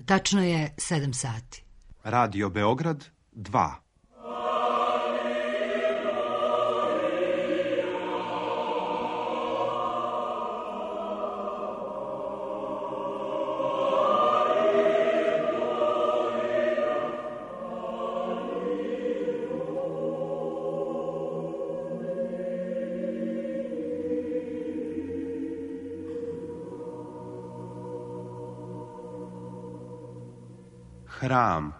Tačno je 7 sati. Radio Beograd 2. Hram.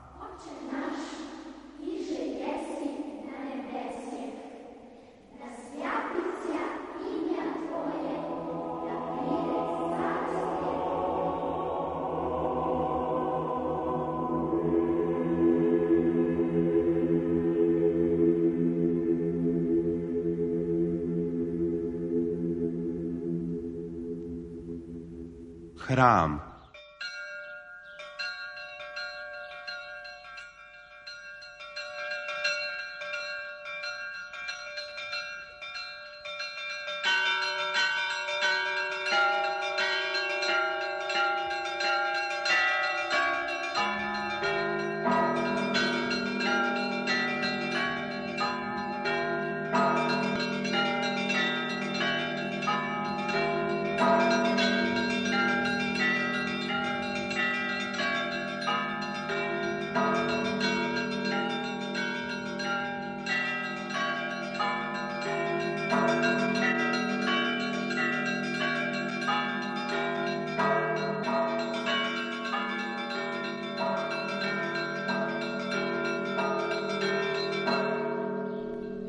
Hram.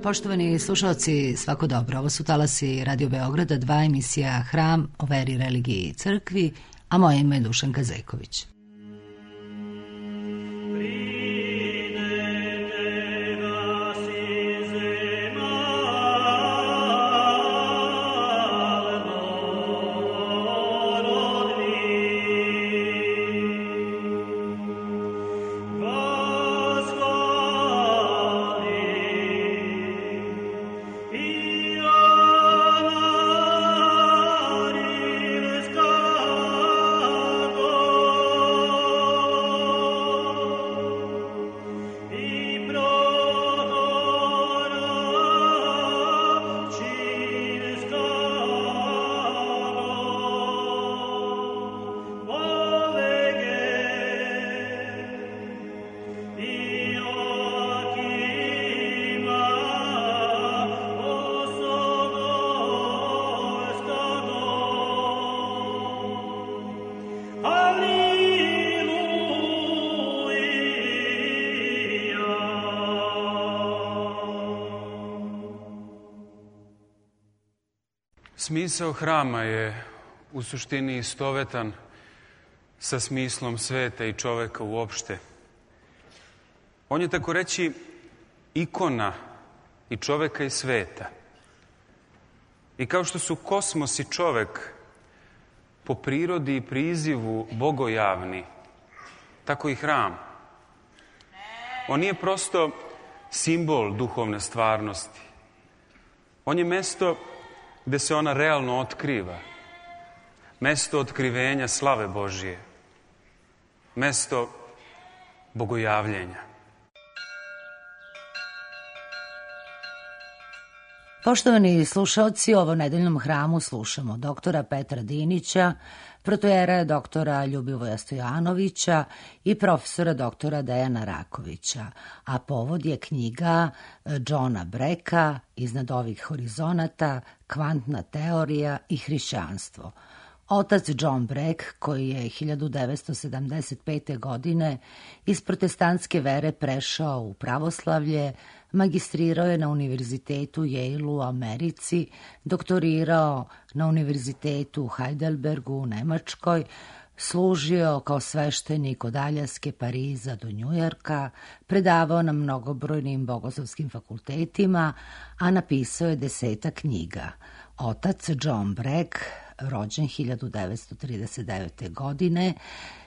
Poštovani slušalci, svako dobro. Ovo su talasi Radio Beograda 2, emisija Hram o veri, religiji i crkvi, a moje ime je Dušanka Zejković. Smisao hrama je u suštini istovetan sa smislom sveta i čoveka uopšte. On je, tako reći, ikona i čoveka i sveta. I kao što su kosmos i čovek po prirodi i prizivu bogojavni, tako i hram. On nije prosto simbol duhovne stvarnosti. On je mesto gde se ona realno otkriva. Mesto otkrivenja slave Božije. Mesto bogojavljenja. Poštovani slušalci, u ovom nedeljnom hramu slušamo doktora Petra Dinića, protojera doktora Ljubivoja Stojanovića i profesora doktora Dejana Rakovića, a povod je knjiga Johna Brecka Iznad ovih horizonata, kvantna teorija i hrišćanstvo. Otac John Breck, koji je 1975. godine iz protestantske vere prešao u pravoslavlje, magistrirao je na Univerzitetu Yale u Americi, doktorirao na Univerzitetu u Heidelbergu u Nemačkoj, služio kao sveštenik od Aljaske, Pariza do Njujorka, predavao na mnogobrojnim bogoslovskim fakultetima, a napisao je 10 knjiga. Otac John Breck, rođen 1939. godine,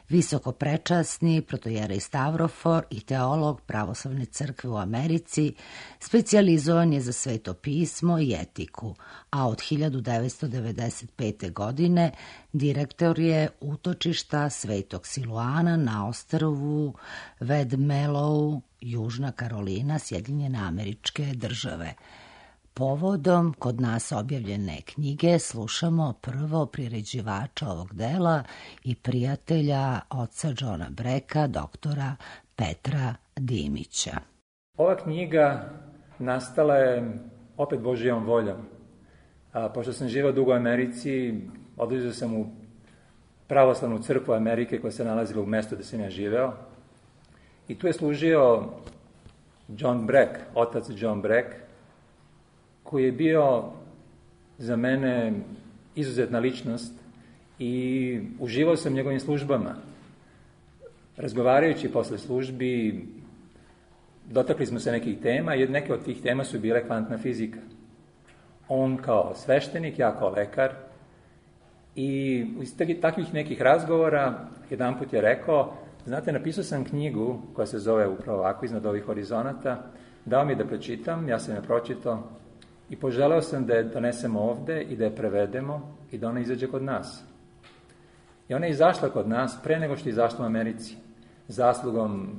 visoko prečasni protojerej Stavrofor i teolog Pravoslavne crkve u Americi, specijalizovan je za sveto pismo i etiku, a od 1995. godine direktor je utočišta Svetog Siluana na ostrvu Vedmelovu, Južna Karolina, Sjedinjene Američke Države. Povodom kod nas objavljene knjige slušamo prvo priređivača ovog dela i prijatelja oca Johna Breka, doktora Petra Dimića. Ova knjiga nastala je opet Božijom voljom. Pošto sam živao dugo u Americi, odlazio sam u pravoslavnu crkvu Amerike koja se nalazila u mestu gde sam ja živeo. I tu je služio John Breck, otac John Breck, koji je bio za mene izuzetna ličnost i uživao sam njegovim službama. Razgovarajući posle službi, dotakli smo se nekih tema i neke od tih tema su bile kvantna fizika. On kao sveštenik, ja kao lekar. I iz takvih nekih razgovora jedan put je rekao, znate, napisao sam knjigu koja se zove upravo ovako, Iznad ovih horizonata, dao mi da pročitam, ja sam je pročitao i poželeo sam da je donesemo ovde i da je prevedemo i da ona izađe kod nas. I ona je izašla kod nas pre nego što je izašla u Americi, zaslugom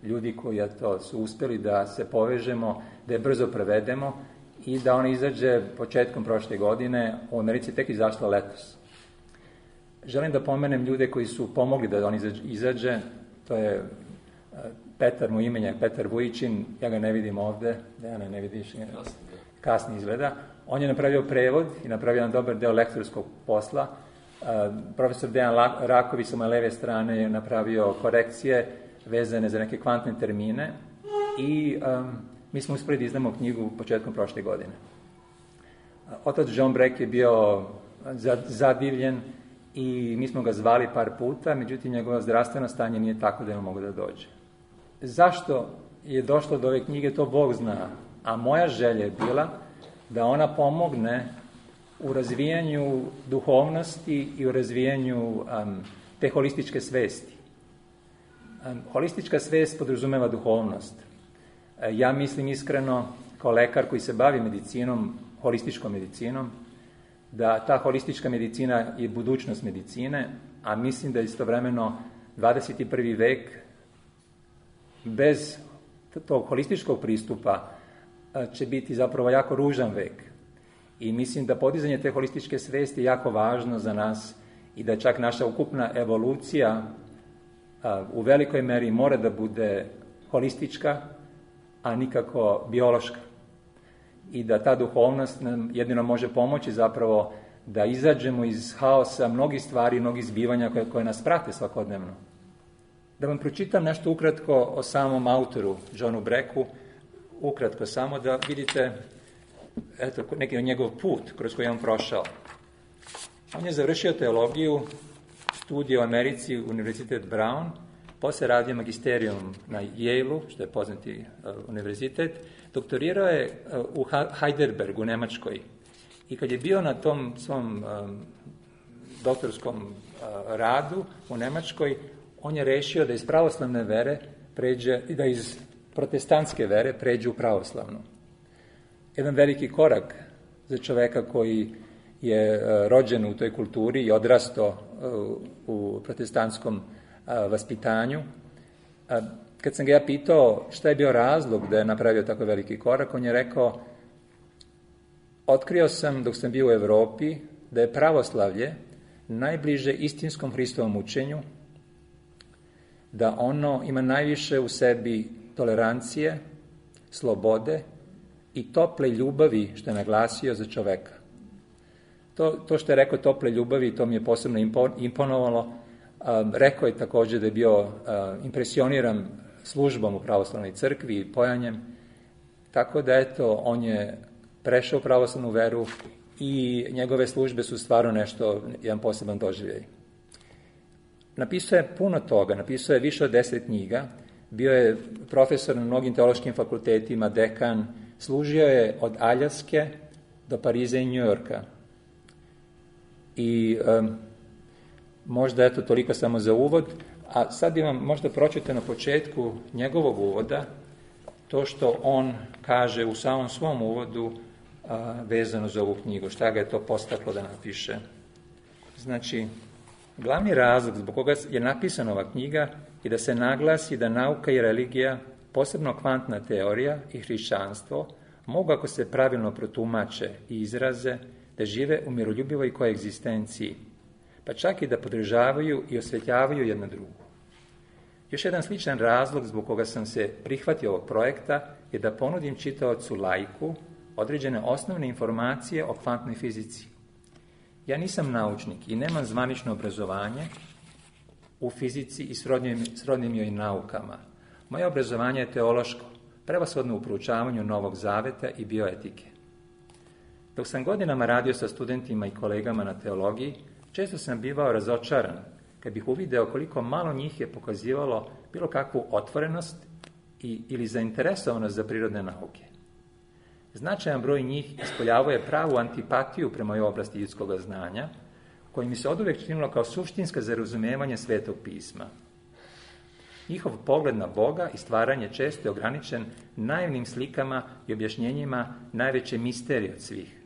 ljudi koji su uspeli da se povežemo, da je brzo prevedemo i da ona izađe početkom prošle godine, u Americi tek izašla letos. Želim da pomenem ljude koji su pomogli da on izađe, to je Petar, mu imenjak, Petar Vujičin, ja ga ne vidim ovde, Dejana ne vidiš, kasni izgleda. On je napravio prevod i napravio jedan dobar deo lektorskog posla. Profesor Dejan Raković sa moje leve strane je napravio korekcije vezane za neke kvantne termine i mi smo uspeli da izdamo knjigu početkom prošle godine. Otac John Breck je bio zadivljen i mi smo ga zvali par puta, međutim njegovo zdravstveno stanje nije tako da je mogo da dođe. Zašto je došlo do ove knjige, to Bog zna, a moja želja je bila da ona pomogne u razvijanju duhovnosti i u razvijanju te holističke svesti. Holistička svest podrazumeva duhovnost. Ja mislim iskreno, kao lekar koji se bavi medicinom, holističkom medicinom, da ta holistička medicina je budućnost medicine, a mislim da istovremeno 21. vek bez tog holističkog pristupa će biti zapravo jako ružan vek. I mislim da podizanje te holističke svesti je jako važno za nas i da čak naša ukupna evolucija u velikoj meri mora da bude holistička, a nikako biološka. I da ta duhovnost nam jedino može pomoći zapravo da izađemo iz haosa mnogih stvari, mnogih zbivanja koje nas prate svakodnevno. Da vam pročitam nešto ukratko o samom autoru, Johnu Brecku, ukratko samo da vidite neki njegov put kroz koji je on prošao. On je završio teologiju, studije u Americi, Univerzitet Brown, posle radio magisterijum na Yale-u, što je poznati univerzitet, doktorirao je u Heidelbergu, u Nemačkoj. I kad je bio na tom svom doktorskom radu u Nemačkoj, on je rešio da iz pravoslavne vere pređe, da iz protestantske vere pređe u pravoslavnu. Jedan veliki korak za čoveka koji je rođen u toj kulturi i odrastao u protestantskom vaspitanju. Kad sam ga ja pitao šta je bio razlog da je napravio tako veliki korak, on je rekao, otkrio sam dok sam bio u Evropi da je pravoslavlje najbliže istinskom Hristovom učenju, da ono ima najviše u sebi tolerancije, slobode i tople ljubavi, što je naglasio, za čoveka. To što je rekao tople ljubavi, to mi je posebno imponovalo. Rekao je također da je bio impresioniran službom u pravoslavnoj crkvi i pojanjem, tako da eto, on je prešao u pravoslavnu veru i njegove službe su stvarno nešto, jedan poseban doživljaj. Napisao je puno toga, napisao je više od 10 knjiga, bio je profesor na mnogim teološkim fakultetima, dekan, služio je od Aljaske do Pariza i Njujorka. I možda eto toliko samo za uvod. A sad bi vam možda pročitao na početku njegovog uvoda to što on kaže u samom svom uvodu vezano za ovu knjigu, šta ga je to postaklo da napiše. Znači, glavni razlog zbog koga je napisana ova knjiga je da se naglasi da nauka i religija, posebno kvantna teorija i hrišćanstvo, mogu, ako se pravilno protumače i izraze, da žive u miroljubivoj koegzistenciji, pa čak i da podržavaju i osvetljavaju jedna drugu. Još jedan sličan razlog zbog koga sam se prihvatio ovog projekta je da ponudim čitaocu laiku određene osnovne informacije o kvantnoj fizici. Ja nisam naučnik i nemam zvanično obrazovanje u fizici i srodnim joj naukama. Moje obrazovanje je teološko, prevashodno u proučavanju Novog Zaveta i bioetike. Dok sam godinama radio sa studentima i kolegama na teologiji, često sam bivao razočaran kad bih uvideo koliko malo njih je pokazivalo bilo kakvu otvorenost ili zainteresovanost za prirodne nauke. Značajan broj njih ispoljavao je pravu antipatiju prema ovoj oblasti ljudskog znanja, koji mi se oduvek činilo kao suštinska za razumevanje Svetog pisma. Njihov pogled na Boga i stvaranje često je ograničen naivnim slikama i objašnjenjima najveće misterije od svih,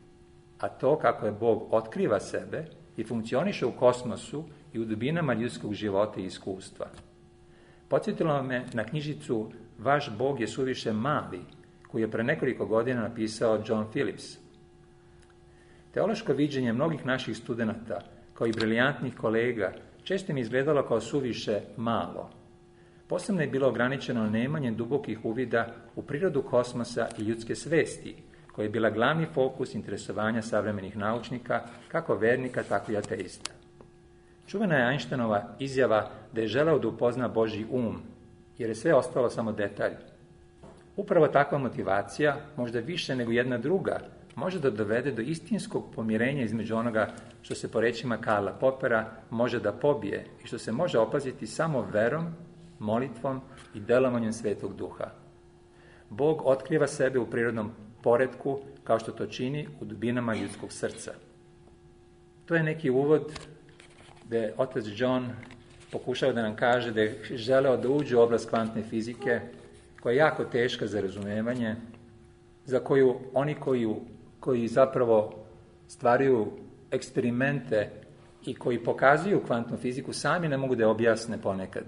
a to kako je Bog otkriva sebe i funkcioniše u kosmosu i u dubinama ljudskog života i iskustva. Podsjetilo me na knjižicu Vaš Bog je suviše mali, koju je pre nekoliko godina napisao John Phillips. Teološko viđenje mnogih naših studenata, kao i briljantnih kolega, često mi izgledalo kao suviše malo. Posebno je bilo ograničeno nemanjem dubokih uvida u prirodu kosmosa i ljudske svesti, koja je bila glavni fokus interesovanja savremenih naučnika, kako vernika, tako i ateista. Čuvena je Einsteinova izjava da je želeo da upozna Božji um, jer je sve ostalo samo detalj. Upravo takva motivacija, možda više nego jedna druga, može da dovede do istinskog pomirenja između onoga što se po rečima Karla Popera može da pobije i što se može opaziti samo verom, molitvom i delovanjem Svetog Duha. Bog otkriva sebe u prirodnom poretku kao što to čini u dubinama ljudskog srca. To je neki uvod gde otac John pokušao da nam kaže da je želeo da uđe u oblast kvantne fizike, koja je jako teška za razumevanje, za koju oni koji zapravo stvaraju eksperimente i koji pokazuju kvantnu fiziku sami ne mogu da je objasne ponekad.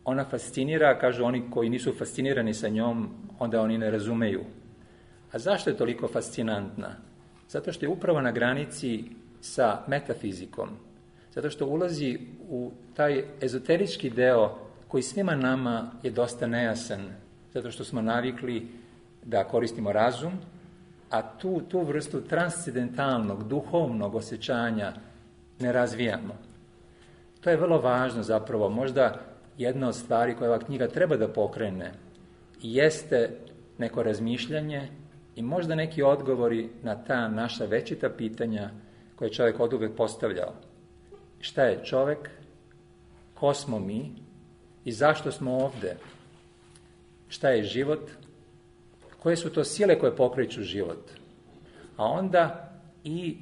Ona fascinira, kažu oni koji nisu fascinirani sa njom, onda oni ne razumeju. A zašto je toliko fascinantna? Zato što je upravo na granici sa metafizikom. Zato što ulazi u taj ezoterički deo koji svima nama je dosta nejasan. Zato što smo navikli da koristimo razum, a tu vrstu transcendentalnog, duhovnog osjećanja ne razvijamo. To je vrlo važno zapravo, možda jedna od stvari koje ova knjiga treba da pokrene jeste neko razmišljanje i možda neki odgovori na ta naša večita pitanja koje je čovjek oduvek postavljao. Šta je čovjek? Ko smo mi? I zašto smo ovde? Šta je život? Koje su to sile koje pokreću život? A onda i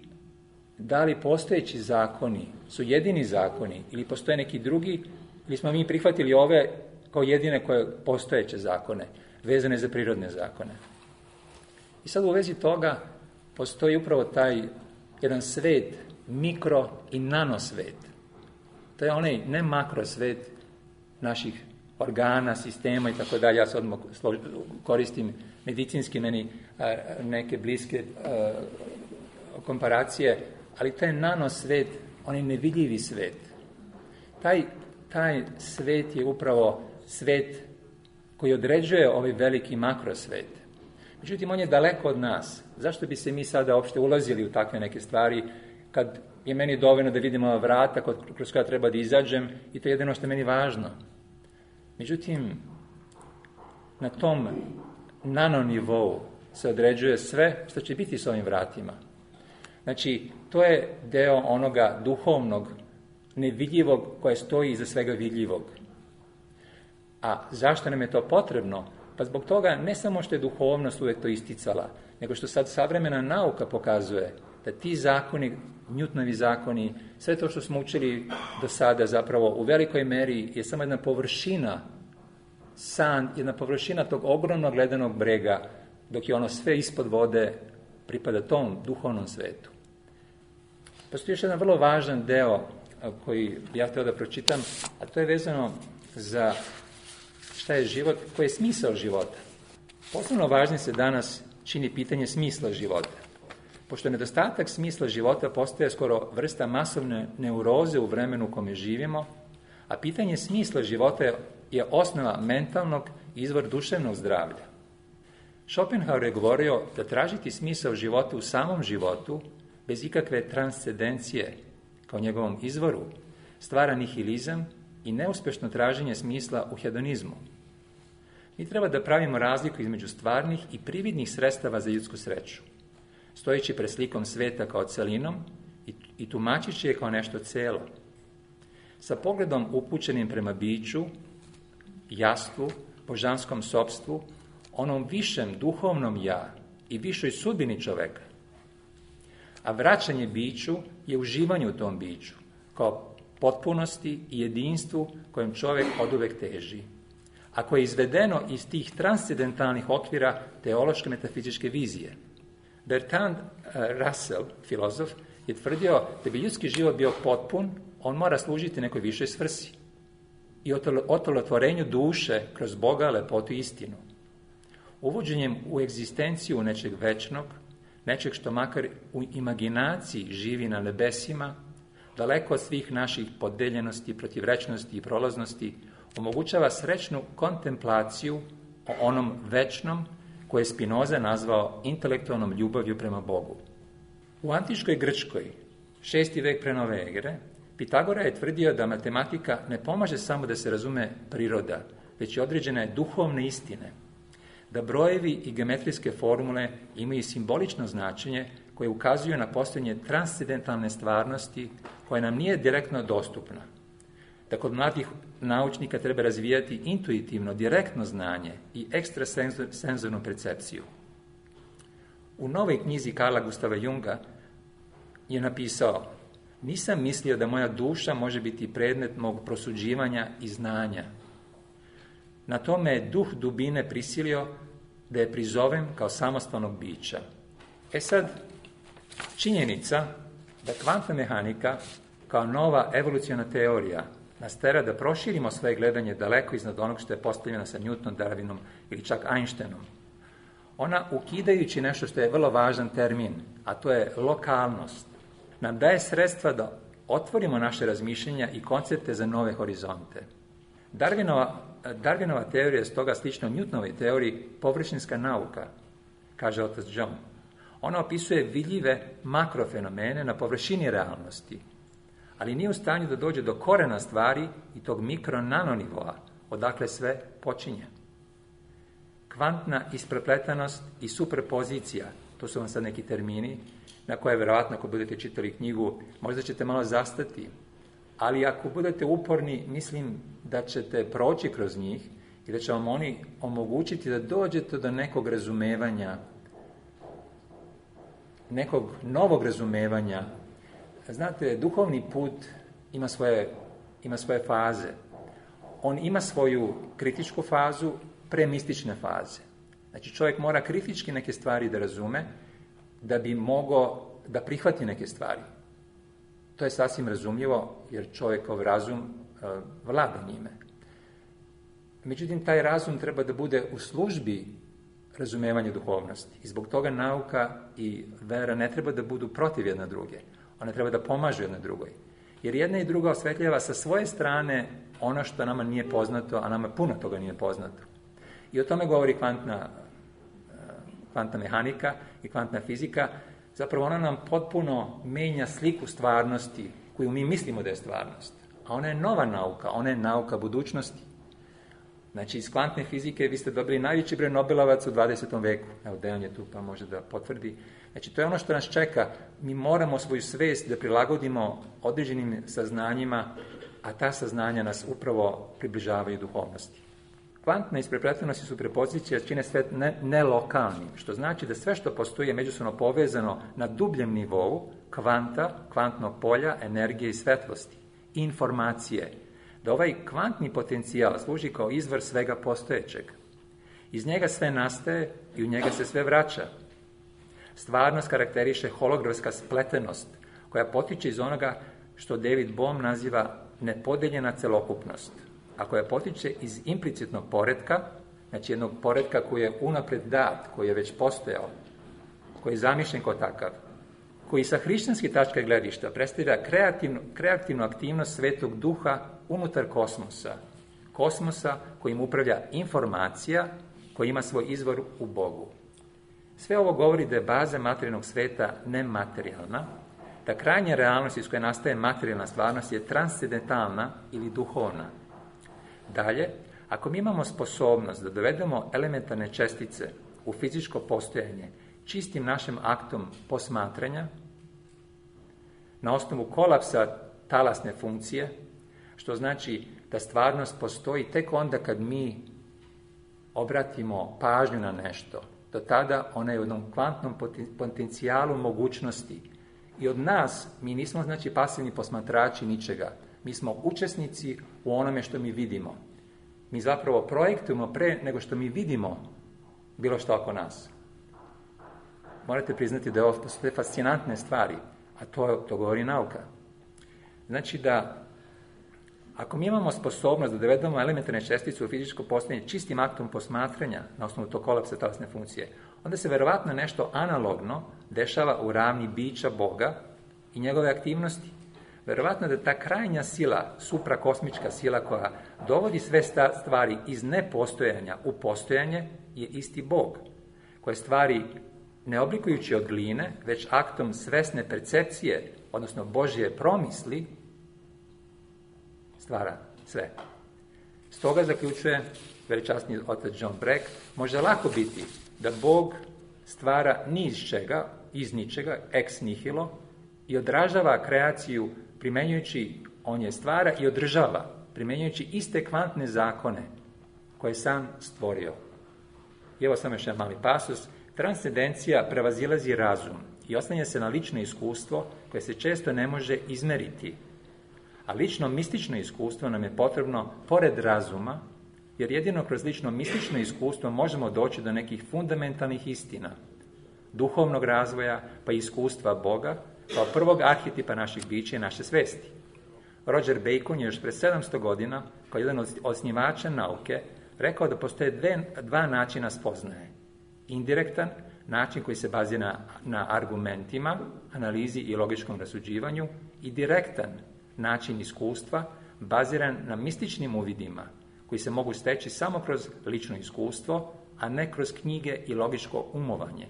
da li postojeći zakoni su jedini zakoni ili postoje neki drugi, ili smo mi prihvatili ove kao jedine koje postojeće zakone, vezane za prirodne zakone. I sad u vezi toga postoji upravo taj jedan svet, mikro i nanosvet. To je onaj ne makrosvet naših organa, sistema i tako dalje. Ja sad odmah koristim medicinski meni neke bliske komparacije, ali taj nanosvet, onaj nevidljivi svet. Taj svet je upravo svet koji određuje ovaj veliki makrosvet. Međutim, on je daleko od nas. Zašto bi se mi sada uopšte ulazili u takve neke stvari, kad je meni dovoljno da vidim ova vrata kroz koja treba da izađem i to je jedino što je meni važno. Međutim, na tom nanonivou se određuje sve što će biti s ovim vratima. Znači, to je deo onoga duhovnog, nevidljivog koje stoji iza svega vidljivog. A zašto nam je to potrebno? Pa zbog toga ne samo što je duhovnost uvek to isticala, nego što sad savremena nauka pokazuje da ti zakoni Newtonovi zakoni, sve to što smo učili do sada zapravo u velikoj meri je samo jedna površina, jedna površina tog ogromnog ledenog brega, dok je ono sve ispod vode pripada tom duhovnom svetu. Postoji još jedan vrlo važan deo koji ja htio da pročitam, a to je vezano za šta je život, koji je smisao života. Posebno važnim se danas čini pitanje smisla života. Pošto nedostatak smisla života postaje skoro vrsta masovne neuroze u vremenu u kome živimo, a pitanje smisla života je osnova mentalnog i izvor duševnog zdravlja. Schopenhauer je govorio da tražiti smisao života u samom životu, bez ikakve transcendencije kao njegovom izvoru, stvara nihilizam i neuspešno traženje smisla u hedonizmu. Mi treba da pravimo razliku između stvarnih i prividnih sredstava za ljudsku sreću, stojeći pred slikom sveta kao celinom i tumačići je kao nešto celo. Sa pogledom upućenim prema biću, jastvu, božanskom sopstvu, onom višem duhovnom ja i višoj sudbini čoveka. A vraćanje biću je uživanje u tom biću, kao potpunosti i jedinstvu kojem čovek oduvek teži, a koje je izvedeno iz tih transcendentalnih okvira teološke metafizičke vizije. Bertrand Russell, filozof, je tvrdio da bi ljudski život bio potpun, on mora služiti nekoj višoj svrsi i otelotvorenju duše kroz Boga, lepotu i istinu. Uvođenjem u egzistenciju nečeg večnog, nečeg što makar u imaginaciji živi na nebesima, daleko od svih naših podeljenosti, protivrečnosti i prolaznosti, omogućava srećnu kontemplaciju o onom večnom koje je Spinoza nazvao intelektualnom ljubavlju prema Bogu. U antičkoj Grčkoj, 6. vek pre nove ere, Pitagora je tvrdio da matematika ne pomaže samo da se razume priroda, već i određene duhovne istine, da brojevi i geometrijske formule imaju simbolično značenje koje ukazuju na postojanje transcendentalne stvarnosti koja nam nije direktno dostupna. Da kod mladih naučnika treba razvijati intuitivno, direktno znanje i ekstrasenzornu percepciju. U novoj knjizi Karla Gustava Junga je napisao: nisam mislio da moja duša može biti predmet mog prosuđivanja i znanja. Na tome je duh dubine prisilio da je prizovem kao samostalnog bića. Sad, činjenica da kvantna mehanika kao nova evoluciona teorija nas tera da proširimo svoje gledanje daleko iznad onog što je postavljeno sa Newtonom, Darwinom ili čak Einsteinom. Ona, ukidajući nešto što je vrlo važan termin, a to je lokalnost, nam daje sredstva da otvorimo naše razmišljenja i koncepte za nove horizonte. Darwinova teorija je stoga slično Newtonovoj teoriji površinska nauka, kaže otac John. Ona opisuje vidljive makrofenomene na površini realnosti, ali nije u stanju da dođe do korena stvari i tog mikro-nanonivoa, odakle sve počinje. Kvantna isprepletanost i superpozicija, to su vam sad neki termini, na koje verovatno ako budete čitali knjigu, možda ćete malo zastati, ali ako budete uporni, mislim da ćete proći kroz njih i da će vam oni omogućiti da dođete do nekog razumevanja, nekog novog razumevanja. Znate, duhovni put ima svoje faze. On ima svoju kritičku fazu, premistične faze. Znači, čovjek mora kritički neke stvari da razume, da bi mogao da prihvati neke stvari. To je sasvim razumljivo, jer čovjekov razum vlada njime. Međutim, taj razum treba da bude u službi razumevanja duhovnosti. I zbog toga nauka i vera ne treba da budu protiv jedna druge. One treba da pomažu jedna drugoj. Jer jedna i druga osvetljava sa svoje strane ono što nama nije poznato, a nama puno toga nije poznato. I o tome govori kvantna mehanika i kvantna fizika. Zapravo ona nam potpuno menja sliku stvarnosti koju mi mislimo da je stvarnost. A ona je nova nauka, ona je nauka budućnosti. Znači, iz kvantne fizike vi ste dobili najveći broj Nobelovaca u 20. veku. Evo, Dejan je tu pa može da potvrdi. Znači, to je ono što nas čeka. Mi moramo svoju svest da prilagodimo određenim saznanjima, a ta saznanja nas upravo približavaju duhovnosti. Kvantna isprepletenost i superpozicija čine svet nelokalnim, što znači da sve što postoji je međusobno povezano na dubljem nivou kvanta, kvantnog polja, energije i svetlosti, informacije, da ovaj kvantni potencijal služi kao izvor svega postojećeg. Iz njega sve nastaje i u njega se sve vraća. Stvarnost karakteriše holografska spletenost, koja potiče iz onoga što David Bohm naziva nepodeljena celokupnost, a koja potiče iz implicitnog poretka, znači jednog poretka koji je unapred dat, koji je već postojao, koji je zamišljen kao takav, koji sa hrišćanske tačke gledišta predstavlja kreativnu aktivnost Svetog Duha unutar kosmosa kojim upravlja informacija koja ima svoj izvor u Bogu. Sve ovo govori da je baza materijalnog sveta nematerijalna, da krajnja realnost iz koje nastaje materijalna stvarnost je transcendentalna ili duhovna. Dalje, ako mi imamo sposobnost da dovedemo elementarne čestice u fizičko postojanje čistim našim aktom posmatranja, na osnovu kolapsa talasne funkcije, što znači da stvarnost postoji tek onda kad mi obratimo pažnju na nešto. Do tada ona je u jednom kvantnom potencijalu mogućnosti. I od nas, mi nismo znači pasivni posmatrači ničega. Mi smo učesnici u onome što mi vidimo. Mi zapravo projektujemo pre nego što mi vidimo bilo što oko nas. Morate priznati da je ovo postoje fascinantne stvari, a to govori nauka. Znači da ako mi imamo sposobnost da dovedemo elementarne čestice u fizičko postojanje čistim aktom posmatranja na osnovu tog kolapsa talasne funkcije, onda se verovatno nešto analogno dešava u ravni bića Boga i njegove aktivnosti. Verovatno da ta krajnja sila, suprakosmička sila koja dovodi sve stvari iz nepostojanja u postojanje je isti Bog, koje stvari ne oblikujući od gline, već aktom svesne percepcije, odnosno Božje promisli, stvara sve. Stoga zaključuje veličasni otac John Breck, može lako biti da Bog stvara ni iz čega, iz ničega, ex nihilo, i odražava kreaciju primenjujući, on je stvara i održava, primenjujući iste kvantne zakone koje je sam stvorio. I evo samo još jedan mali pasus. Transcendencija prevazilazi razum i oslanja se na lično iskustvo koje se često ne može izmeriti. A lično mistično iskustvo nam je potrebno pored razuma, jer jedino kroz lično mistično iskustvo možemo doći do nekih fundamentalnih istina, duhovnog razvoja pa i iskustva Boga, kao prvog arhetipa naših bića i naše svesti. Roger Bacon je još pred 700 godina, kao jedan od osnivača nauke, rekao da postoje dva načina spoznaje. Indirektan, način koji se bazira na argumentima, analizi i logičkom rasuđivanju, i direktan, način iskustva, baziran na mističnim uvidima, koji se mogu steći samo kroz lično iskustvo, a ne kroz knjige i logičko umovanje.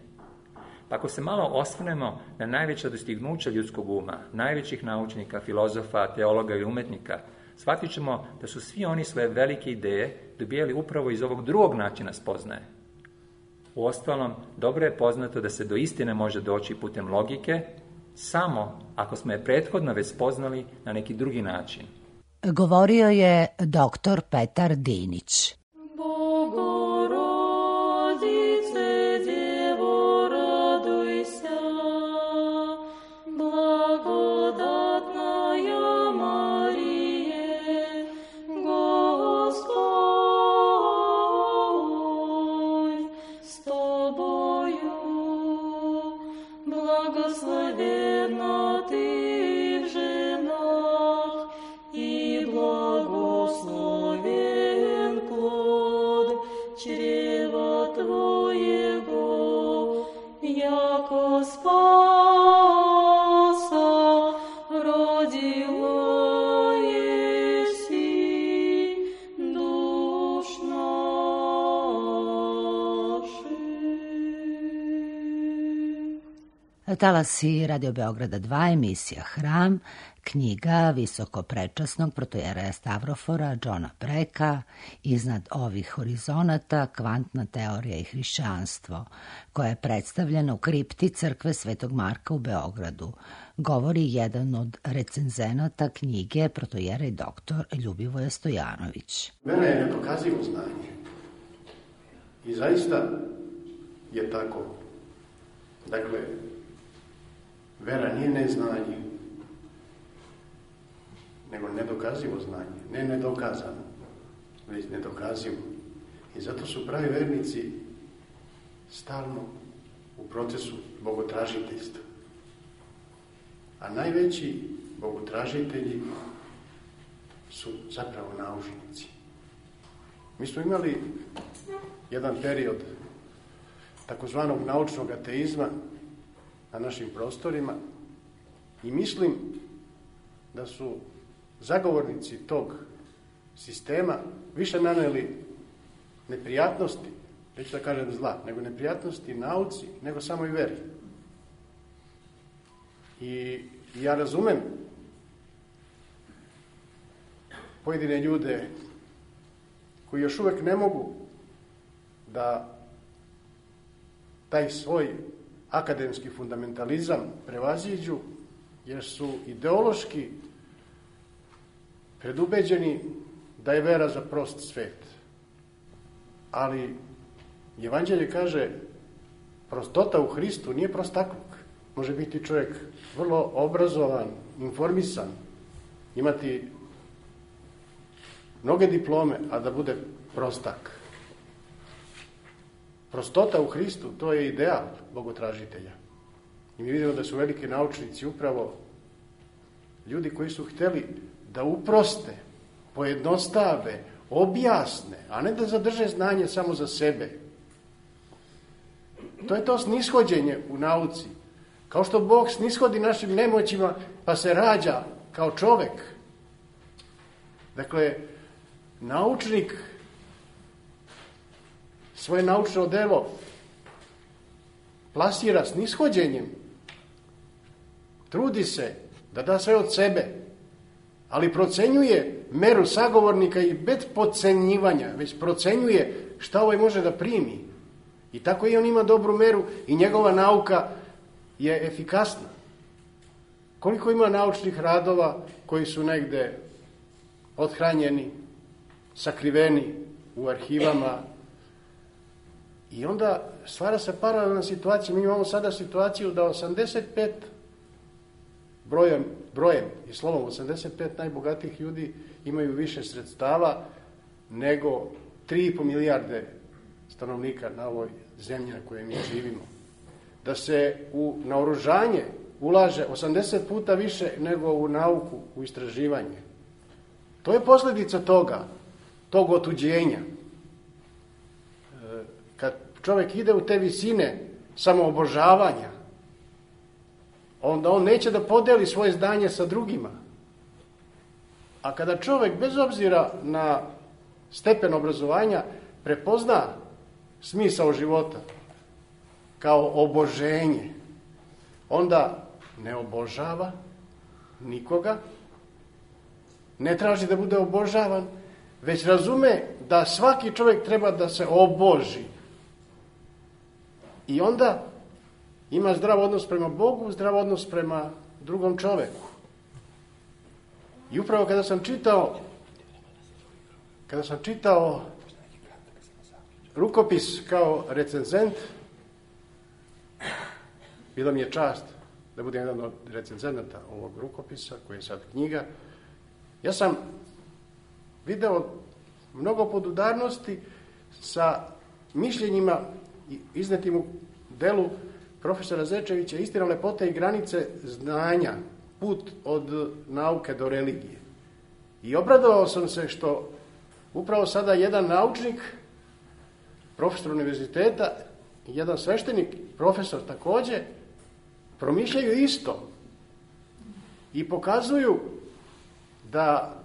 Pa ako se malo osvrnemo na najveća dostignuća ljudskog uma, najvećih naučnika, filozofa, teologa i umetnika, shvatit ćemo da su svi oni svoje velike ideje dobijali upravo iz ovog drugog načina spoznaje. Uostalom, dobro je poznato da se do istine može doći putem logike, samo ako smo je prethodno već spoznali na neki drugi način. Govorio je dr. Petar Dinić. Talasi Radio Beograda 2, emisija Hram, knjiga visokoprečasnog protojeraja Stavrofora Johna Brecka, Iznad ovih horizonata, kvantna teorija i hrišćanstvo, koja je predstavljena u kripti crkve Svetog Marka u Beogradu. Govori jedan od recenzenata knjige protojerej dr. Ljubivoje Stojanović. Mene je nepokazivo znanje. I zaista je tako. Dakle, vera nije neznanje, nego nedokazivo znanje. Ne nedokazano, već nedokazivo. I zato su pravi vernici stalno u procesu bogotražiteljstva. A najveći bogotražitelji su zapravo naučnici. Mi smo imali jedan period takozvanog naučnog ateizma na našim prostorima i mislim da su zagovornici tog sistema više naneli neprijatnosti, neću da kažem zla, nego neprijatnosti nauci, nego samo i veri. I ja razumem pojedine ljude koji još uvek ne mogu da taj svoj akademski fundamentalizam prevaziđu, jer su ideološki predubeđeni da je vera za prost svet. Ali Evanđelje kaže, prostota u Hristu nije prostakluk. Može biti čovjek vrlo obrazovan, informisan, imati mnoge diplome, a da bude prostak. Prostota u Hristu, to je ideal bogotražitelja. I mi vidimo da su veliki naučnici upravo ljudi koji su hteli da uproste, pojednostave, objasne, a ne da zadrže znanje samo za sebe. To je to snishođenje u nauci. Kao što Bog snishodi našim nemoćima, pa se rađa kao čovek. Dakle, naučnik svoje naučno delo plasira snishođenjem. Trudi se da da sve od sebe, ali procenjuje meru sagovornika i bez podcenjivanja, već procenjuje šta ovaj može da primi. I tako i on ima dobru meru i njegova nauka je efikasna. Koliko ima naučnih radova koji su negde othranjeni, sakriveni u arhivama, i onda stvara se paralelna situacija. Mi imamo sada situaciju da 85 brojem i slovom 85 najbogatijih ljudi imaju više sredstava nego 3,5 milijarde stanovnika na ovoj zemlji na kojoj mi živimo. Da se u naoružanje ulaže 80 puta više nego u nauku, u istraživanje. To je posljedica tog otuđenja. Kad čovjek ide u te visine samoobožavanja, onda on neće da podeli svoje znanje sa drugima. A kada čovjek, bez obzira na stepen obrazovanja, prepozna smisao života kao oboženje, onda ne obožava nikoga, ne traži da bude obožavan, već razume da svaki čovjek treba da se oboži. I onda ima zdrav odnos prema Bogu, zdrav odnos prema drugom čoveku. I upravo kada sam čitao rukopis kao recenzent, bila mi je čast da budem jedan od recenzenata ovog rukopisa, koji je sad knjiga. Ja sam video mnogo podudarnosti sa mišljenjima iznetim u delu profesora Zečevića, Istina, lepota i granice znanja, put od nauke do religije. I obradovao sam se što upravo sada jedan naučnik, profesor univerziteta, i jedan sveštenik, profesor također, promišljaju isto i pokazuju da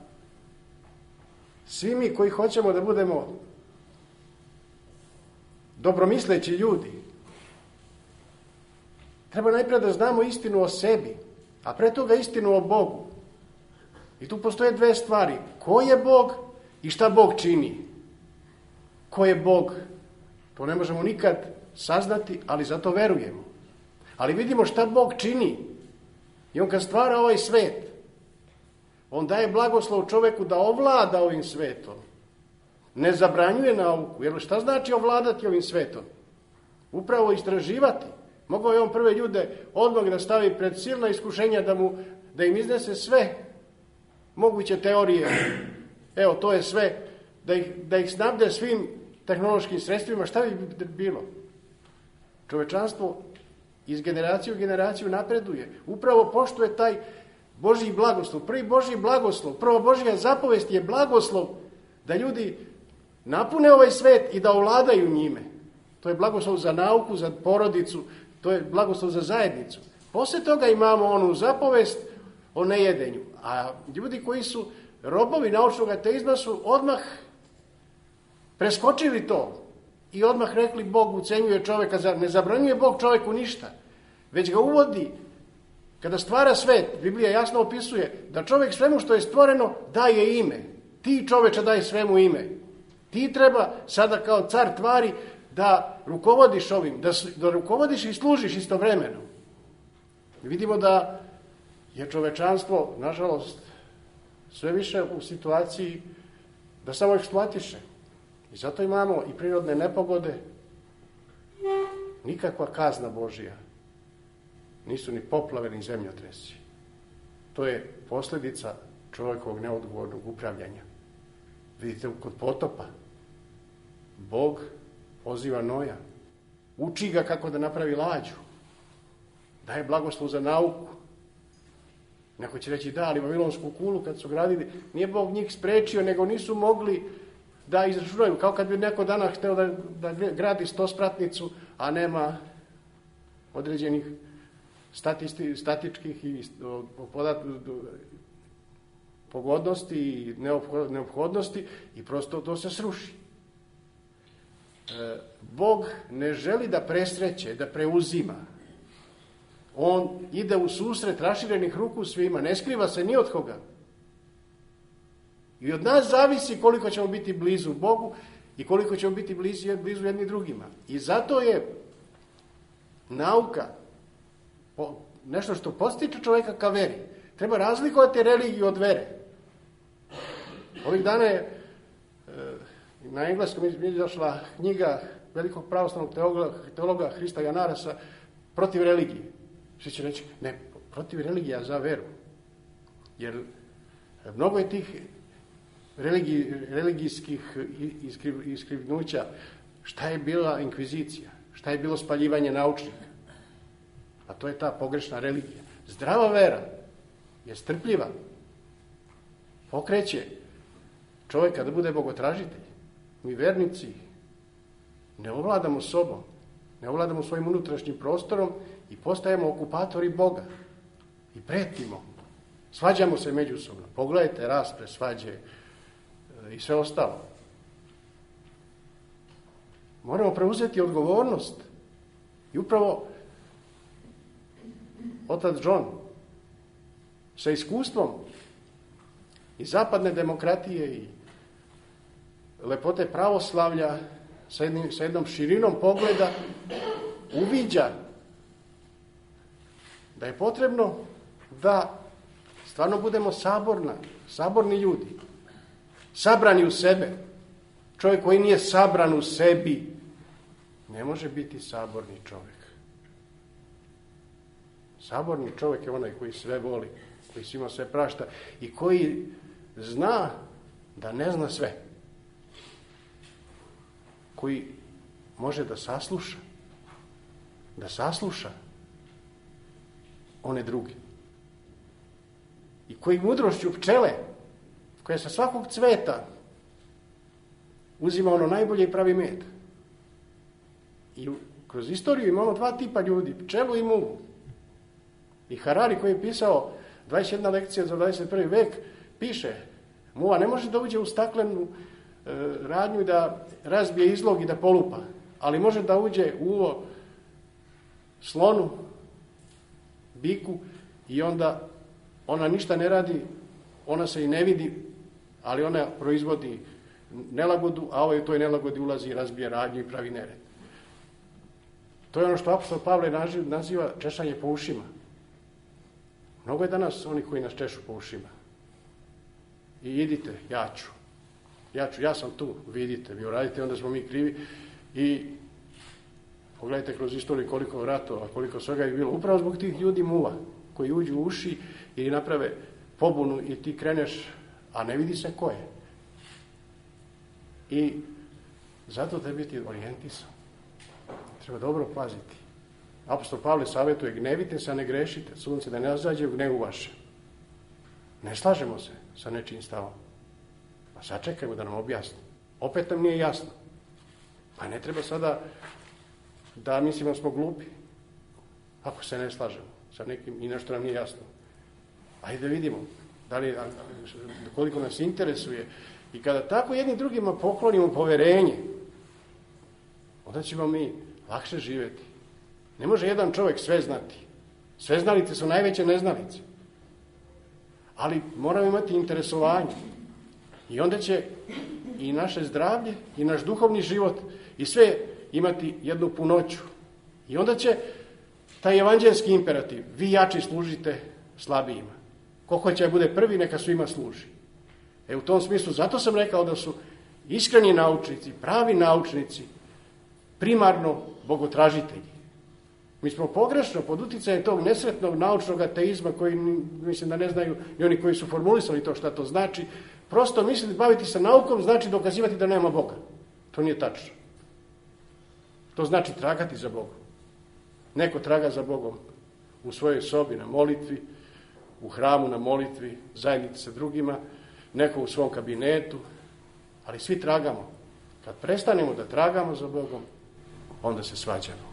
svi mi koji hoćemo da budemo dobromisleći ljudi, treba najprije da znamo istinu o sebi, a pre toga istinu o Bogu. I tu postoje dve stvari. Ko je Bog i šta Bog čini? Ko je Bog? To ne možemo nikad saznati, ali zato verujemo. Ali vidimo šta Bog čini. I on kad stvara ovaj svet, on daje blagoslov čoveku da ovlada ovim svetom. ne zabranjuje nauku. Jer šta znači ovladati ovim svetom? Upravo istraživati. Mogao je on prve ljude odmah da stavi pred silna iskušenja da im iznese sve moguće teorije. Evo, to je sve. Da ih snabde svim tehnološkim sredstvima. Šta bi bilo? Čovečanstvo iz generacije u generaciju napreduje. Upravo poštuje taj Božji blagoslov. Prvi Božji blagoslov, prva Božja zapovest je blagoslov da ljudi napune ovaj svet i da ovladaju njime. To je blagoslov za nauku, za porodicu, to je blagoslov za zajednicu. Posle toga imamo onu zapovest o nejedenju. A ljudi koji su robovi naučnog ateizma su odmah preskočili to i odmah rekli Bog ucenjuje čoveka, ne zabranjuje Bog čoveku ništa, već ga uvodi. Kada stvara svet, Biblija jasno opisuje da čovek svemu što je stvoreno daje ime. Ti čoveče daj svemu ime. Ti treba sada kao car tvari da rukovodiš ovim, da rukovodiš i služiš istovremeno. Vidimo da je čovečanstvo, nažalost, sve više u situaciji da samo eksploatiše. I zato imamo i prirodne nepogode, nikakva kazna Božija. Nisu ni poplave, ni zemljotresi. To je posljedica čovjekovog neodgovornog upravljanja. Vidite, kod potopa Bog poziva Noja, uči ga kako da napravi lađu, daje blagoslov za nauku. Neko će reći da, ali Vavilonsku kulu kad su gradili, nije Bog njih sprečio, nego nisu mogli da izračunaju. Kao kad bi neko danas hteo da gradi 100-spratnicu, a nema određenih statičkih i pogodnosti i neophodnosti i prosto to se sruši. Bog ne želi da presreće, da preuzima. On ide u susret raširenih ruku svima, ne skriva se ni od koga. I od nas zavisi koliko ćemo biti blizu Bogu i koliko ćemo biti blizu jedni drugima. I zato je nauka nešto što postiče čovjeka ka veri. Treba razlikovati religiju od vere. Ovih dana je na engleskom izašla knjiga velikog pravoslavnog teologa Hrista Janarasa protiv religije. Svi će reći, ne, protiv religija za veru. Jer mnogo je tih religijskih iskrivnuća. Šta je bila inkvizicija? Šta je bilo spaljivanje naučnika? A to je ta pogrešna religija. Zdrava vera je strpljiva. Pokreće čovjeka da bude bogotražitelj. Mi vernici ne ovladamo sobom, ne ovladamo svojim unutrašnjim prostorom i postajemo okupatori Boga. I pretimo. Svađamo se međusobno. Pogledajte raspre, svađe i sve ostalo. Moramo preuzeti odgovornost. I upravo otac John sa iskustvom i zapadne demokratije i lepote pravoslavlja sa jednom širinom pogleda uviđa da je potrebno da stvarno budemo saborni ljudi, sabrani u sebe. Čovjek koji nije sabran u sebi ne može biti saborni čovjek. Saborni čovjek je onaj koji sve voli, koji svima sve prašta i koji zna da ne zna sve. Koji može da sasluša one druge. I koji mudrošću pčele, koja sa svakog cveta uzima ono najbolje i pravi med. I kroz istoriju imamo dva tipa ljudi, pčelu i muvu. I Harari koji je pisao 21 lekcija za 21. vek, piše, muva ne može da uđe u staklenu radnju i da razbije izlog i da polupa, ali može da uđe u uvo slonu, biku i onda ona ništa ne radi, ona se i ne vidi, ali ona proizvodi nelagodu, a ovaj u toj nelagodi ulazi i razbije radnju i pravi nered. To je ono što apostol Pavle naziva češanje po ušima. Mnogo je danas oni koji nas češu po ušima. I idite, ja ću. ja sam tu, vidite, vi uradite, onda smo mi krivi. I pogledajte kroz istoriju koliko ratova, koliko svega je bilo. Upravo zbog tih ljudi muva, koji uđu u uši i naprave pobunu i ti kreneš, a ne vidi se ko je. I zato treba biti orijentisan. Treba dobro paziti. Apostol Pavle savjetuje, gnevite se, a ne grešite. Sunce da ne zađe u gnevu vaše. Ne slažemo se sa nečijim stavom. Pa sačekajmo da nam objasni. Opet nam nije jasno. Pa ne treba sada da mislimo da smo glupi. Ako se ne slažemo sa nekim i nešto nam nije jasno. Ajde da vidimo koliko nas interesuje. I kada tako jednim drugima poklonimo poverenje, onda ćemo mi lakše živjeti. Ne može jedan čovjek sve znati. Sveznalice su najveće neznalice. Ali moramo imati interesovanje. I onda će i naše zdravlje, i naš duhovni život, i sve imati jednu punoću. I onda će taj evanđelski imperativ, vi jači služite slabijima. Ko hoće da bude prvi, neka svima služi. U tom smislu, zato sam rekao da su iskreni naučnici, pravi naučnici, primarno bogotražitelji. Mi smo pogrešno pod uticajem tog nesretnog naučnog ateizma, koji mislim da ne znaju i oni koji su formulisali to šta to znači, prosto misliti baviti se naukom znači dokazivati da nema Boga. To nije tačno. To znači tragati za Bogom. Neko traga za Bogom u svojoj sobi na molitvi, u hramu na molitvi, zajednici sa drugima, neko u svom kabinetu, ali svi tragamo. Kad prestanemo da tragamo za Bogom, onda se svađamo.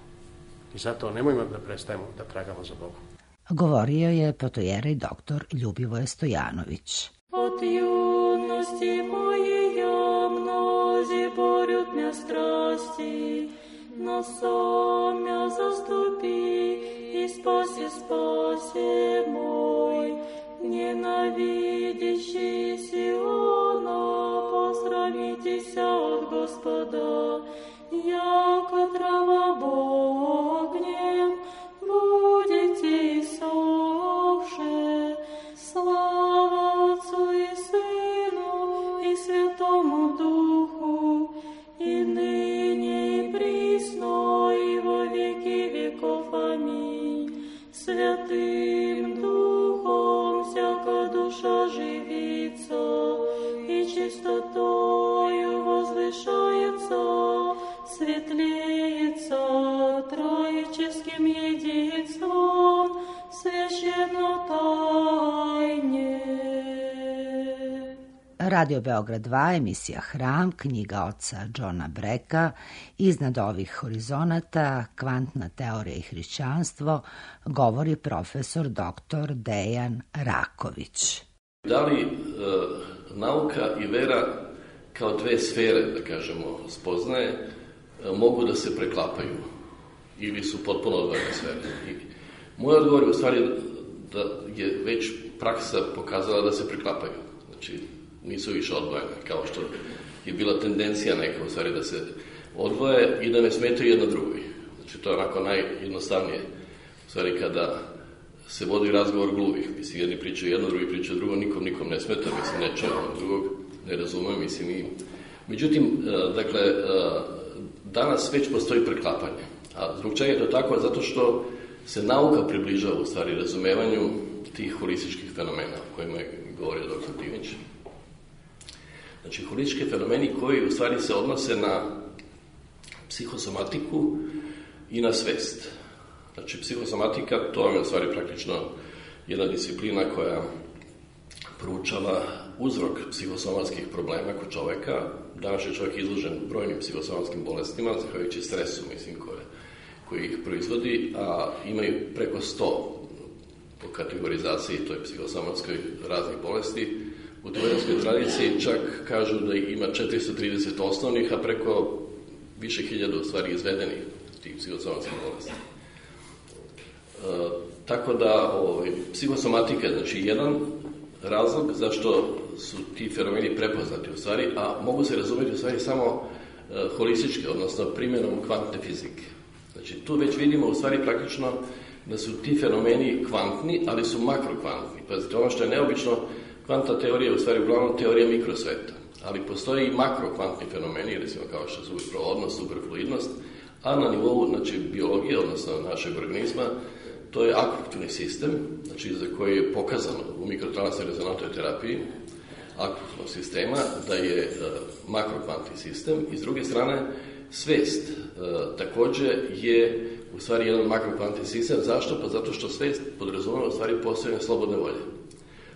I zato nemojmo da prestajemo da tragamo za Bogom. Govorio je protojerej doktor Ljubivoje Stojanović. Od junosti moje mnozi borют mja strasti, но сам мя заступи и спаси мой, ненавидящий Сиона, посрамитеся от Господа, яко трава Богнем, будете иссохше, слава Отцу и Сыну и Святому Духу, и ныне и присно, и во веки веков. Аминь. Святым Духом всяка душа живится, и чистотою возвышается, светлеется троическим единством, священно тайне. Radio Beograd 2, emisija Hram, knjiga oca Johna Breka, Iznad ovih horizonata, kvantna teorija i hrišćanstvo, govori profesor dr. Dejan Raković. Da li nauka i vera kao dve sfere, da kažemo, spoznaje, mogu da se preklapaju ili su potpuno odvojene sfere? I moj odgovor je u stvari da je već praksa pokazala da se preklapaju. Znači, nisu više odvojene, kao što je bila tendencija neka u stvari da se odvoje i da ne smetaju jedno drugoj. Znači, to je onako najjednostavnije. U stvari, kada se vodi razgovor gluvih, mislim, jedni pričaju jedno, drugi pričaju drugo, nikom ne smeta, mislim, ne čuje ono drugog, ne razume, mislim, i... Međutim, dakle, danas već postoji preklapanje. A zbog čega je to tako? Zato što se nauka približava u stvari razumevanju tih holističkih fenomena o kojima je govorio dr. Dinić. Znači, holistički fenomeni koji u stvari se odnose na psihosomatiku i na svest. Znači, psihosomatika, to je u stvari praktično jedna disciplina koja proučava uzrok psihosomatskih problema kod čoveka. Danas je čovjek izložen brojnim psihosomatskim bolestima, zahvaljujući stresu, mislim, koji ih proizvodi, a imaju preko 100 po kategorizaciji toj psihosomatskoj raznih bolesti. U teorijskoj tradiciji čak kažu da ima 430 osnovnih, a preko više hiljada u stvari izvedenih tih psihosomatskih bolesti. Tako da psihosomatika je znači jedan razlog zašto su ti fenomeni prepoznati u stvari, a mogu se razumjeti u stvari samo holistički, odnosno primjenom kvantne fizike. Znači tu već vidimo u stvari praktično da su ti fenomeni kvantni, ali su makrokvantni. Pazite, ono što je neobično, kvantna teorija je u stvari uglavnom teorija mikrosveta. ali postoje i makrokvantni fenomeni, recimo kao što su provodnost, superfluidnost, a na nivou biologije, odnosno našeg organizma, to je aktivni sistem, za koji je pokazano u mikrotransnoj rezonantnoj terapiji aktivnog sistema da je makrokvantni sistem i s druge strane svest također je u stvari jedan makrokvantni sistem. Zašto? Pa zato što svest podrazumeva u stvari postojanje slobodne volje.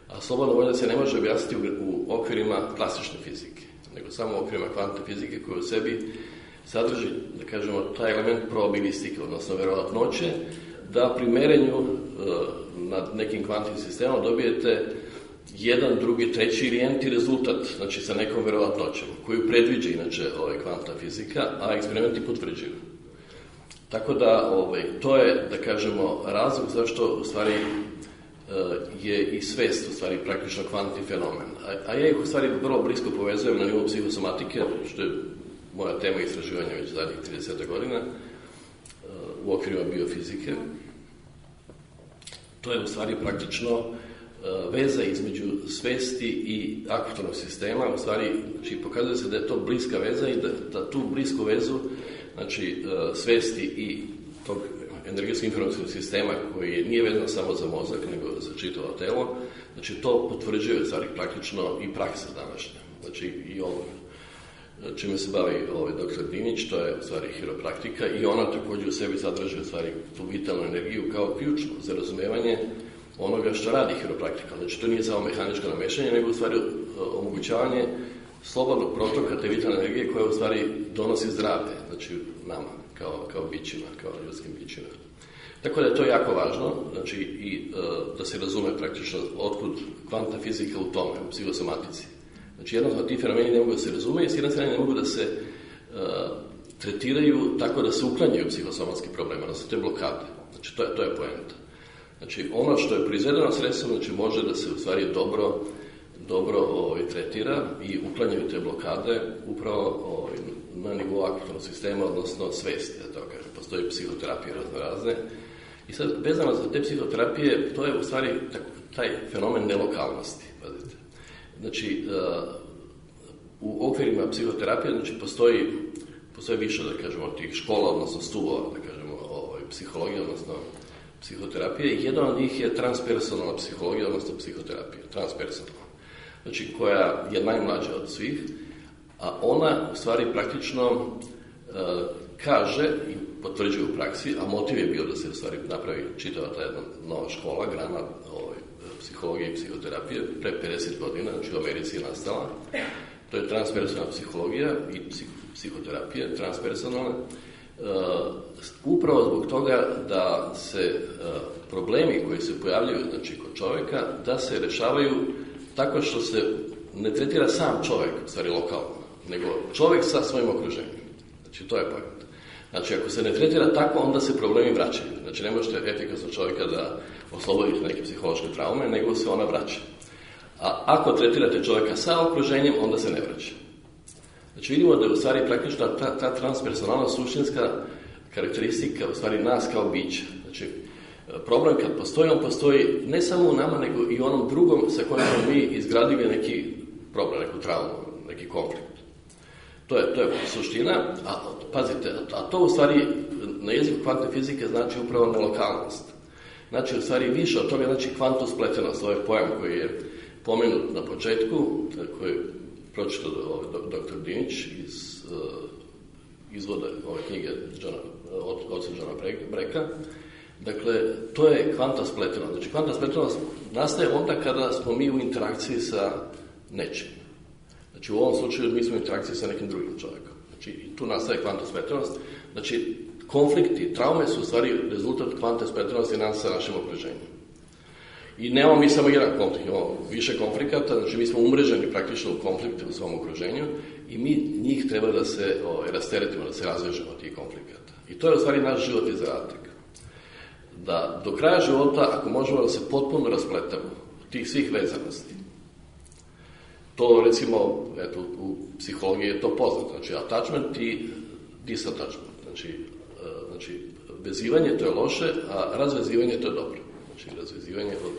A slobodna volja se ne može objasniti u okvirima klasične fizike, nego samo u okvirima kvantne fizike koja u sebi sadrži, da kažemo, taj element probabilistike, odnosno verovatnoće, da pri merenju nad nekim kvantnim sistemom dobijete jedan, drugi, treći ili enti rezultat, sa nekom verovatnoćom, koju predviđa inače kvantna fizika, a eksperimenti potvrđuju. Tako da to je, da kažemo, razlog zašto u stvari je i svest u stvari praktično kvantni fenomen. A ja ih u stvari vrlo blisko povezujem na nivou psihosomatike, što je moja tema istraživanja već zadnjih 30 godina u okvirima biofizike. To je u stvari praktično veza između svesti i aktivnog sistema. U stvari, pokazuje se da je to bliska veza i da tu blisku vezu, svesti i tog energetskog informacijskog sistema koji nije vezan samo za mozak, nego za čitavo telo, to potvrđuje u stvari praktično i praksa današnja. I ovo čime se bavi dr. Dinić, to je u stvari hiropraktika i ona također u sebi sadrži u stvari tu vitalnu energiju kao ključnu za razumevanje onoga što radi hiropraktika. To nije samo mehaničko namešanje, nego u stvari omogućavanje slobodnog protoka te vitalne energije koja u stvari donosi zdravlje, nama, kao bićima, kao ljudskim bićima. Tako da je to jako važno, i da se razume praktično otkud kvantna fizika u tome, u psihosomatici. Jednostavno, ti fenomeni ne mogu da se razume i s jedne strane ne mogu da se tretiraju tako da se uklanjaju psihosomatski problemi, da se te blokade. To je poenta. Ono što je proizvedeno sredstvom, može da se u stvari dobro tretira i uklanjaju te blokade upravo na nivou aktivnog sistema, odnosno svesti, da to kažem. Postoji psihoterapije razne. I sad, vezano za te psihoterapije, to je u stvari taj fenomen nelokalnosti, pazite. U okvirima psihoterapije, postoji više, da kažemo, tih škola, odnosno stuvova, da kažemo, psihologije, odnosno psihoterapije. Jedan od njih je transpersonalna psihologija, odnosno psihoterapija, transpersonalna. Koja je najmlađa od svih, a ona u stvari praktično kaže i potvrđuje u praksi, a motiv je bio da se u stvari napravi čitava ta jedna nova škola, grana psihologije i psihoterapije, pre 50 godina, u Americi je nastala. To je transpersonalna psihologija i psihoterapija, transpersonalna, upravo zbog toga da se problemi koji se pojavljaju kod čovjeka, da se rešavaju tako što se ne tretira sam čovjek, u stvari lokalno, nego čovjek sa svojim okruženjem. To je pojent. Ako se ne tretira tako, onda se problemi vraćaju. Ne možete efikasno čovjeka da oslobodite neke psihološke traume, nego se ona vraća. A ako tretirate čovjeka sa okruženjem, onda se ne vraća. Vidimo da je u stvari praktično ta transpersonalna suštinska karakteristika u stvari nas kao bića. Problem kad postoji, on postoji ne samo u nama, nego i u onom drugom sa kojim smo mi izgradili neki problem, neku traumu, neki konflikt. To je suština, a pazite, a to u stvari na jeziku kvantne fizike znači upravo nelokalnost. U stvari više od toga kvantospletenost, ovaj pojam koji je pomenut na početku, koji je pročitao dr. Dinić iz izvoda ove knjige oca Johna Breka. Dakle, to je kvantospletenost. Kvantospletenost nastaje onda kada smo mi u interakciji sa nečim. U ovom slučaju mi smo u interakciji sa nekim drugim čovjekom. I tu nastaje kvantospletenost. Konflikti, traume su u stvari rezultat kvantospletenosti nas sa našim okruženjem. I nemamo mi samo jedan konflikt, imamo više konflikata, mi smo umreženi praktično u konflikte u svom okruženju i mi njih treba da se rasteretimo, da se razvežemo od tih konflikata. I to je u stvari naš život i zadatak. Da do kraja života, ako možemo da se potpuno raspletamo tih svih vezanosti, to recimo, u psihologiji je to poznato, attachment i disattachment, vezivanje to je loše, a razvezivanje to je dobro. Razvezivanje od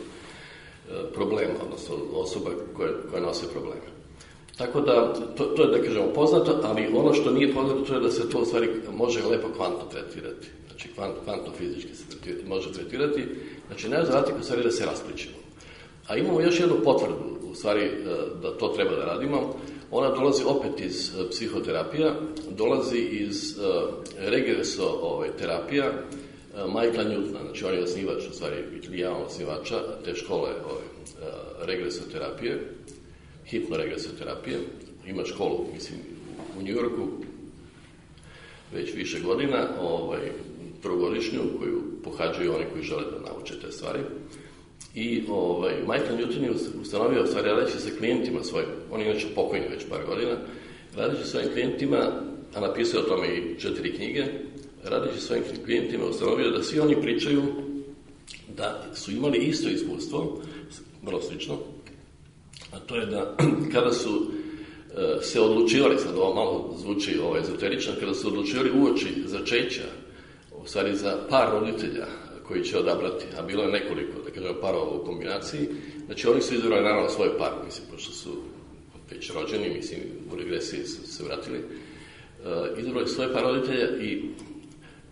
problema, odnosno osoba koje nose probleme. Tako da, to je, da kažemo, poznato, ali ono što nije poznato, to je da se to u stvari može lepo kvantno tretirati. Znači, kvantno fizički se može tretirati. Znači, nema zadatak u stvari da se raspličemo. A imamo još jednu potvrdu, u stvari, da to treba da radimo. Ona dolazi opet iz psihoterapija, dolazi iz regreso terapija Michaela Newtona. Znači, on je osnivač, u stvari, ili ja osnivača te škole regresoterapije, hipnoregresoterapije. Ima školu, mislim, u New Yorku već više godina, trogodišnju, koju pohađaju oni koji žele da nauče te stvari. I Michael Newton je ustanovio, stvari, radeći sa klijentima svojim, on je inače pokojni već par godina, radeći svojim klijentima, a napisao o tome i 4 knjige, radeći svojim klijentima ustanovio da svi oni pričaju da su imali isto iskustvo, vrlo slično, a to je da kada su se odlučivali, sad ovo malo zvuči ezoterično, kada su odlučivali uoči začeća, u stvari za par roditelja koji će odabrati, a bilo je nekoliko, da kažem, parova u kombinaciji, znači oni su izabrali naravno svoj par, mislim, pošto su već rođeni, mislim, u regresiji su se vratili, izabrali svoj par roditelja i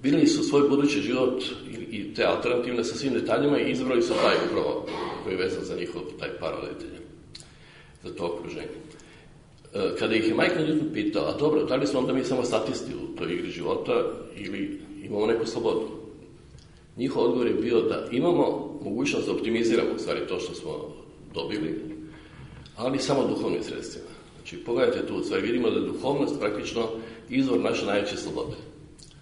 birali su svoj budući život i te alternativne sa svim detaljima i izabrali su taj upravo koji je vezan za njihov taj par roditelja, za to okruženje. Kada ih je Michael Newton pitao, a dobro, da li smo onda mi samo statisti u toj igri života ili imamo neku slobodu? Njihov odgovor je bio da imamo mogućnost da optimiziramo u stvari to što smo dobili, ali samo duhovnim sredstvima. Znači, pogledajte tu, u stvari vidimo da je duhovnost praktično izvor naše najveće slobode.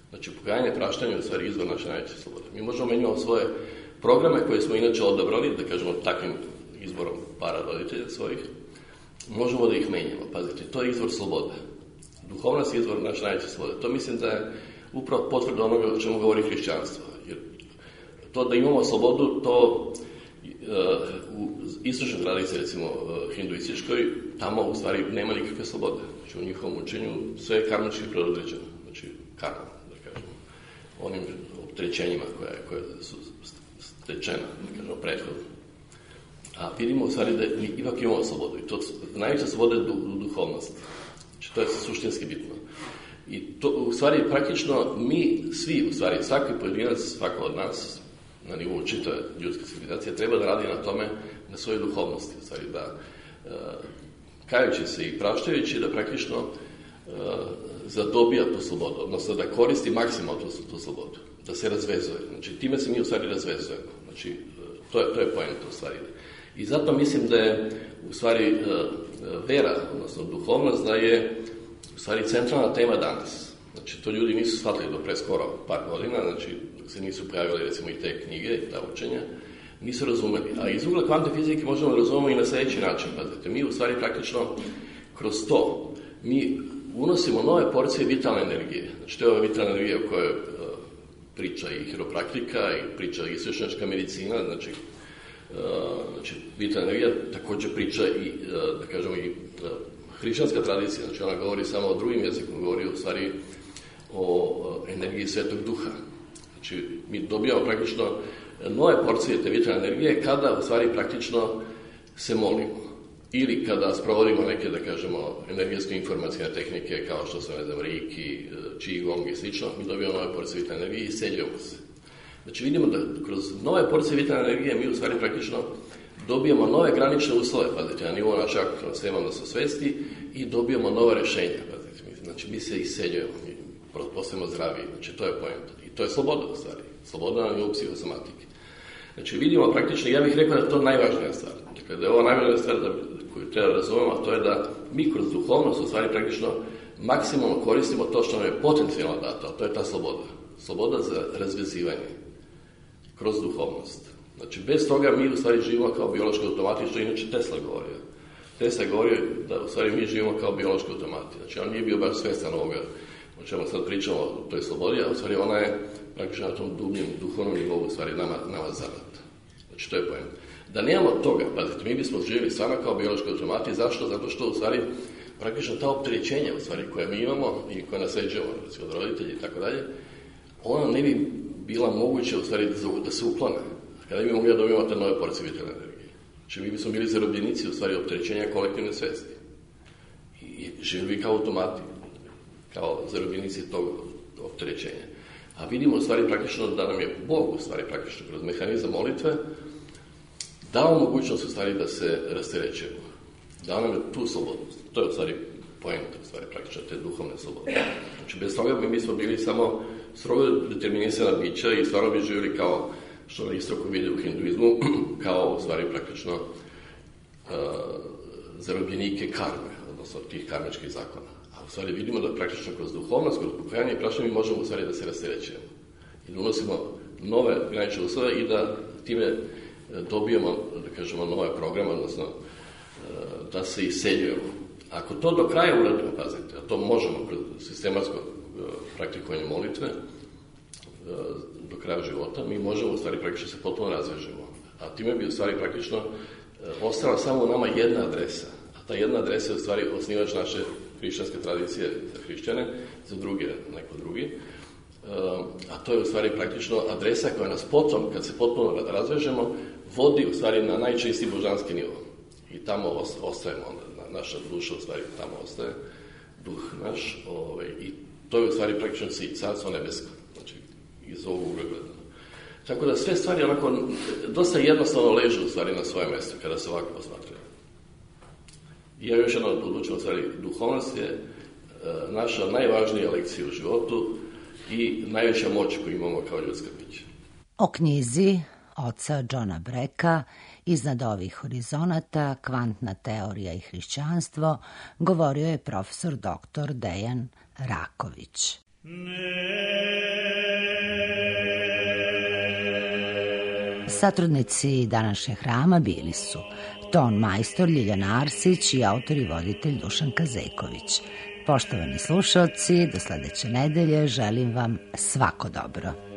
Znači, pokajanje, praštanje je u stvari izvor naše najveće slobode. Mi možemo imati svoje programe koje smo inače odabrali, da kažemo takvim izborom para roditelja svojih, možemo da ih menjamo. Pazite, to je izvor slobode. Duhovnost je izvor naše najveće slobode. To mislim da je upravo potvrda onoga o čemu govori hrišćanstvo. Jer to da imamo slobodu, to u istočnoj tradiciji, recimo hinduističkoj, tamo u stvari nema nikakve slobode. Znači, u njihovom učenju sve je karmički predodređeno. Znači, karma, da kažemo, onim opterećenjima koje su stečena, da kažemo, prethodno. A vidimo u stvari da mi ipak imamo slobodu. I to najveća sloboda je duhovnost. Znači, to je suštinski bitno. I to, u stvari, praktično, mi svi, u stvari, svaki pojedinac, svako od nas, na nivou čitave ljudske civilizacije, treba da radi na tome, na svojoj duhovnosti, u stvari, da kajući se i praštajući, da praktično zadobija tu slobodu, odnosno da koristi maksimalno tu slobodu, da se razvezuje. Znači, time se mi u stvari razvezujemo. Znači, to je poenta u stvari. I zato mislim da je u stvari vera, odnosno duhovnost, da je u stvari centralna tema danas. Znači, to ljudi nisu shvatili do pre skoro par godina, znači, dok se nisu pojavili, recimo, i te knjige i ta učenja, nisu razumeli. A iz ugla kvantne fizike možemo da razumemo i na sljedeći način. Pazite, mi u stvari praktično kroz to, mi unosimo nove porcije vitalne energije. Znači, to je ova vitalna energija o kojoj priča i hiropraktika i priča i istočnjačka medicina, znači, vitalna energija također priča i, da kažemo, i hrišćanska tradicija, znači ona govori samo o drugim jezikom, govori u stvari o energiji Svetog Duha. Znači, mi dobijamo praktično nove porcije te vitalne energije kada u stvari praktično se molimo. Ili kada sprovodimo neke, da kažemo, energetske informacijne tehnike kao što su, ne znam, Reiki, Qigong i slično, mi dobijamo nove porcije vitalne energije i isceljujemo se. Znači, vidimo da kroz nove porcije vitalne energije mi u stvari praktično dobijamo nove granične uslove, pazite, na nivou našeg aktivnog sistema, odnosno svesti, i dobijamo nove rešenja, pazite. Znači, mi se isceljujemo, mi postajemo zdraviji, znači, to je poenta. I to je sloboda, u stvari. Sloboda na nivou psihosomatike. Znači, vidimo praktično, ja bih rekao da je to najvažnija stvar. Dakle, da je ovo najvažnija stvar koju treba da razumemo, a to je da mi kroz duhovnost, u stvari, praktično maksimalno koristimo to što nam je potencijalno dato, a to je ta sloboda. Sloboda za razvezivanje kroz duhovnost. Znači, bez toga mi u stvari živimo kao biološki automati, što inače Tesla govorio. Tesla govorio da u stvari mi živimo kao biološki automati. Znači, on nije bio baš svestan ovoga o čemu sad pričamo o toj slobodi, a u stvari ona je praktično na tom dubljem duhovnom nivou u stvari nama zadata. Znači, to je pojem. Da nemamo toga, pazite, mi bismo živjeli stvarno kao biološki automati. Zašto? Zato što u stvari praktično ta opterećenja u stvari koje mi imamo i koje nasljeđujemo od roditelji i tako dalje, ona ne bi bila moguće u stvari da se uklone. Kada bi mogli da dobijemo te nove porcije vitalne energije. Znači, mi bismo bili zarobljenici u stvari opterećenja kolektivne svesti. živi kao automati, kao zarobljenici tog opterećenja. A vidimo u stvari praktično da nam je Bog u stvari praktično kroz mehanizam molitve dao mogućnost u stvari da se rasterećujemo. Dao nam je tu slobodu. To je u stvari poenta, u stvari praktično te duhovne slobode. Znači, bez toga mi smo bili samo strogo determinisana bića i stvarno bi živjeli kao što na istoku vide u hinduizmu, kao u stvari praktično zarobljenike karme, odnosno tih karmičkih zakona. A u stvari vidimo da praktično kroz duhovnost, kroz pokajanje i prašenje mi možemo u stvari da se rasterećujemo. I da unosimo nove granične uslove i da time dobijemo, da kažemo, nove programe, odnosno da se iseljujemo. Ako to do kraja uradimo, pazite, a to možemo kroz sistematsko praktikovanje molitve do kraja života, mi možemo u stvari praktično se potpuno razvežemo. A time bi u stvari praktično ostala samo u nama jedna adresa. A ta jedna adresa je u stvari osnivač naše hrišćanske tradicije za hrišćane, za druge neko drugi. A to je u stvari praktično adresa koja nas potom, kad se potpuno razvežemo, vodi u stvari na najčistiji božanski nivo. I tamo ostajemo onda. Naša duša u stvari tamo ostaje, duh naš, i to je u stvari praktično carstvo nebesko, znači iz ovog ugla gledano. Tako da sve stvari onako dosta jednostavno ležu u stvari na svoje mjesto kada se ovako posmatraju. I ja još jedno odlučujem, u stvari duhovnost je naša najvažnija lekcija u životu i najveća moć koju imamo kao ljudska bića. O knjizi oca Johna Breka Iznad ovih horizonata, kvantna teorija i hrišćanstvo, govorio je profesor dr. Dejan Raković. Satrudnici današnjeg hrama bili su ton majstor Ljiljana Arsić i autor i voditelj Dušan Kazejković. Poštovani slušalci, do sledeće nedelje želim vam svako dobro.